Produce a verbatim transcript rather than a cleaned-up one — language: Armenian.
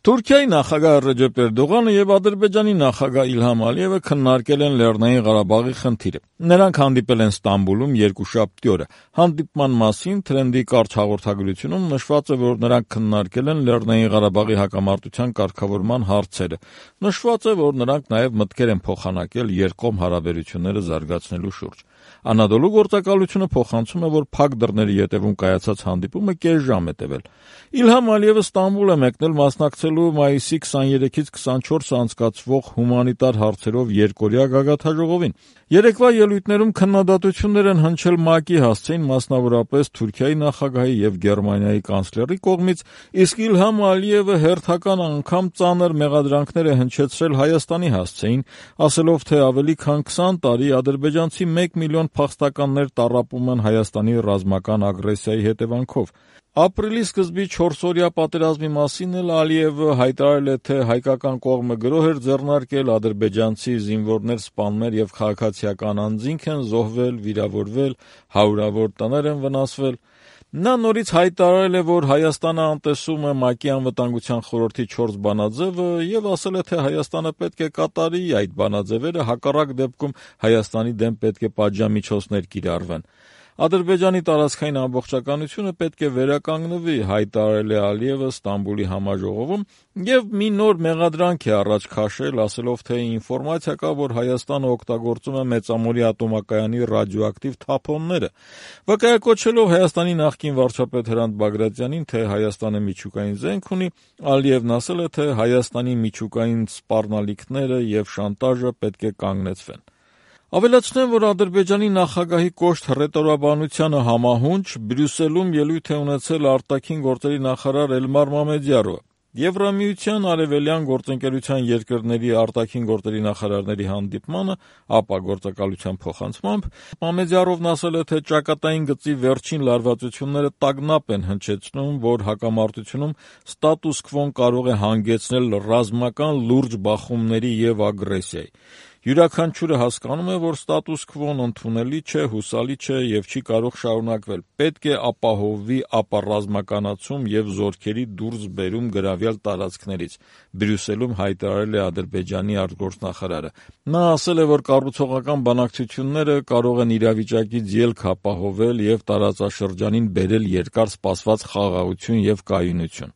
Թուրքիայի նախագահ Ռեջեփ Էրդողանը եւ Ադրբեջանի նախագահ Իլհամ Ալիևը քննարկել են Լեռնային Ղարաբաղի խնդիրը։ Նրանք հանդիպել են Ստամբուլում երկուշաբթի օրը։ Հանդիպման մասին Թրենդի կարճ հաղորդագրությունում նշված է, որ նրանք քննարկել են Լեռնային Ղարաբաղի հակամարտության կարգավորման հարցերը։ Նշված է, որ նրանք նաեւ մտքեր են փոխանակել երկկողմ հարաբերությունները զարգացնելու շուրջ։ Անադոլու գործակալությունը փոխանցում է, որ փակ դռների ետևում կայացած հանդիպումը կես ժամ է տևել։ Իլհամ Ալիևը Ստամբուլ է մեկնել մասնակցելու մայիսի քսաներեքից քսանչորսը անցկացվող հումանիտար հարցերով երկօրյա գագաթնաժողովին։ Երեկվա ելույթներում քննադատություններ են հնչել ՄԱԿ-ի հասցեին, մասնավորապես Թուրքիայի նախագահի եւ Գերմանիայի կանցլերի կողմից, իսկ Իլհամ Ալիևը հերթական անգամ ծանր մեղադրանքներ է հնչեցրել Հայաստանի հասցեին, ասելով, թե ավելի քան քսան տարի ադրբեջանցի մեկ միլիոն փախստականներ տառապում են Հայաստանի ռազմական ագրեսիայի հետևանքով։ Ապրիլի սկզբի չորսօրյա պատերազմի մասին էլ Ալիևը հայտարարել է, թե հայկական կողմը գրոհ էր ձեռնարկել, ադրբեջանցի զինվորներ, սպաններ եւ քաղաքացիական անձինք են զոհվել, վիրավորվել, հարյուրավոր տներ են վնասվել։ Նա նորից հայտարարել է, որ Հայաստանը անտեսում է ՄԱԿ-ի անվտանգության խորհրդի չորս բանաձևը եւ ասել է, թե Հայաստանը պետք է կատարի այդ բանաձևերը, հակառակ դեպքում Հայաստանի դեմ պետք է պատժամիջոցներ կիրառվեն։ Ադրբեջանի տարածքային ամբողջականությունը պետք է վերականգնվի, հայտարարել է Ալիևը Ստամբուլի համաժողովում եւ մի նոր մեղադրանք է առաջ քաշել, ասելով, թե ինֆորմացիա կա, որ Հայաստանը օգտագործում է Մեծամորի ատոմակայանի ռադիոակտիվ թափոնները։ Վկայակոչելով Հայաստանի նախկին վարչապետ Հրանտ Բագրատյանին, թե Հայաստանը միջուկային զենք ունի, Ալիևն ասել է, թե Հայաստանի միջուկային սպառնալիքները եւ շանտաժը պետք է կանգնեցվեն։ Ավելացնեմ, որ Ադրբեջանի նախագահի կոշտ հռետորաբանությանը համահունչ Բրյուսելում ելույթ է ունեցել արտաքին գործերի նախարար Էլմար Մամեդյարովը։ Եվրամիության արևելյան գործընկերության երկրների արտաքին գործերի նախարարների հանդիպմանը ԱՊԱ գործակալության փոխանցմամբ Մամեդյարովն ասել է, թե ճակատային գծի վերջին լարվածությունները տագնապ են հնչեցնում, որ հակամարտությունում ստատուս քվոն կարող է հանգեցնել ռազմական լուրջ բախումների եւ ագրեսիայի։ Յուրաքանչյուրը հասկանում է, որ ստատուս քվոն ընդունելի չէ, հուսալի չէ եւ չի կարող շարունակվել։ Պետք է ապահովվի ապառազմականացում եւ զորքերի դուրսբերում գրավյալ տարածքներից, Բրյուսելում հայտարարել է Ադրբեջանի արտգործնախարարը։ Նա ասել է, որ կառուցողական բանակցությունները կարող են իրավիճակից ելք ապահովել եւ տարածաշրջանին բերել երկար սպասված խաղաղություն եւ կայունություն։